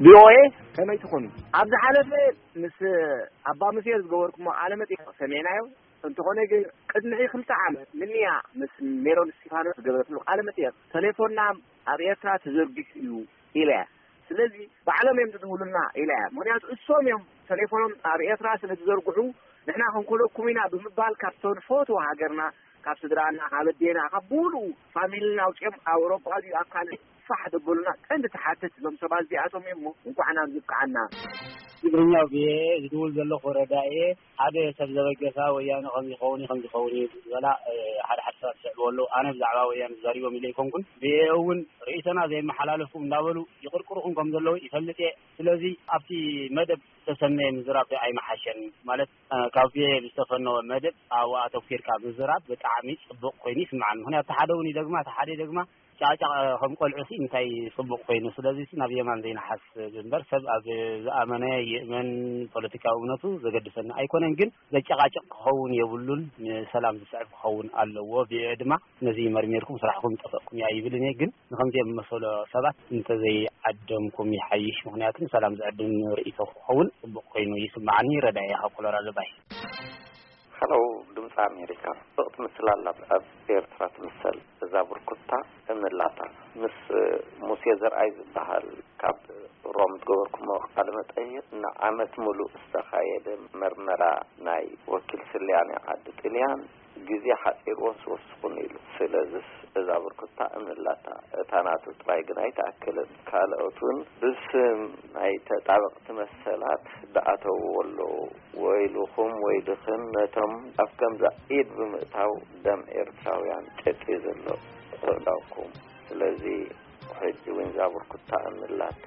ቪኦኤ ከመይ ትኾኑ? ኣብ ዝሓለፈ ምስ ኣባ ሙሴ ዝገበርኩሞ ቃለ መጠይቕ ሰሜናዮ። እንተኾነ ግን ቅድሚ ክልተ ዓመት ምንያ ምስ ሜሮን እስቲፋኖስ ዝገበረትሉ ቃለ መጠይቕ፣ ተሌፎንና ኣብ ኤርትራ ተዘርጊሑ እዩ ኢለ እያ። ስለዚ ባዕሎም እዮም ዝድውሉልና ኢለ እያ። ምኽንያቱ እሶም እዮም ተሌፎኖም ኣብ ኤርትራ ስለ ዝዘርግሑ፣ ንሕና ክንኮነኩም ኢና ብምባል ካብቶ ንፈትዎ ሃገርና፣ ካብ ስድራና፣ ካብ ኣዴና፣ ካብ ብሙሉኡ ፋሚልና ኣውፅኦም ኣብ ኣውሮጳ ድዩ ኣብ ካልእ ፋሕ ዘበሉና ቀንዲ ተሓተቲ እዞም ሰባት እዚኣቶም እዮም። እሞ እንኳዕ ናብ ዝበቃዓና። ትግርኛ ብየ ዝድውል ዘለኹ ረዳ እየ። ሓደ ሰብ ዘበገሳ ወያነ ከም ዝኸውን እዩ፣ ከም ዝኸውን እዩ ዝበላ፣ እ፣ ሓደ ሓደ ሰባት ዝስዕብዎ ኣለዉ። ኣነ ብዛዕባ ወያነ ተዛሪቦም ኢለ ኣይኮንኩን። ብየ እውን ርእይቶና ዘየመሓላለፉ እንዳበሉ ይቕርቅሩኹም ከም ዘለዉ ይፈልጥ እየ። ስለዚ ኣብቲ መደብ ዝተሰነየ ምዝራብ ኣይመሓሸን። ማለት፣ እ፣ ካብ ብየ ብዝተፈነወ መደብ ኣብኡ ኣተኲርካ ምዝራብ ብጣዕሚ ጽቡቕ ኮይኑ ይስምዓኒ። ምኽንያቱ እቲ ሓደ እውን ይደግማ፣ እቲ ሓደ ይደግማ ጫዕጫዕ ከም ቆልዑ ሲ እንታይ ጽቡቕ ኮይኑ። ስለዚ ሲ ናብ የማን ዘይንሓስብ እምበር ሰብ ኣብ ዝኣመነ ይእመን፣ ፖለቲካዊ እምነቱ ዘገድሰና ኣይኮነን። ግን ዘጨቃጭቅ ክኸውን የብሉን፣ ንሰላም ዝስዕብ ክኸውን ኣለዎ። ብየ ድማ ነዚ መርሚርኩም ስራሕኩም ጠፈእኩም እያ ይብል እየ። ግን ንከምዚኦም መሰሎ ሰባት እንተዘይዓደምኩም ይሓይሽ። ምኽንያቱ ንሰላም ዝዕድም ርእይቶ ክኸውን ጽቡቕ ኮይኑ ይስምዓኒ። ረዳየ ካብ ኮሎራዶ ባይ። ሀሎ ድምፂ ኣሜሪካ። ጽብቕቲ ምስላ ኣላት ኣብ ኤርትራ ትምሰል እዛ ብርኩታ እምላታ። ምስ ሙሴ ዘርኣይ ዝበሃል ካብ ሮም ዝገበርኩሞ ቃለ መጠይቕ ንዓመት ሙሉእ ዝተኻየደ መርመራ ናይ ወኪል ስልያኔ ዓዲ ጥልያን ግዜ ሓጺርዎን ስወስኹን ኢሉ። ስለዝስ እዛ ብርኩታ እምላታ እታ ናቱ ጥራይ ግን ኣይትኣክልን። ካልኦት እውን ብስም ናይ ተጣበቕቲ መሰላት ዝኣተውዎ ኣለዉ። ወይልኹም ወይልኽን ነቶም ኣብ ከምዛ ኢድ ብምእታው ደም ኤርትራውያን ጨጭዩ ዘሎ ኣእዳውኩም። ስለዚ ሕጂ እውን እዛ ብርኩታ እምላታ።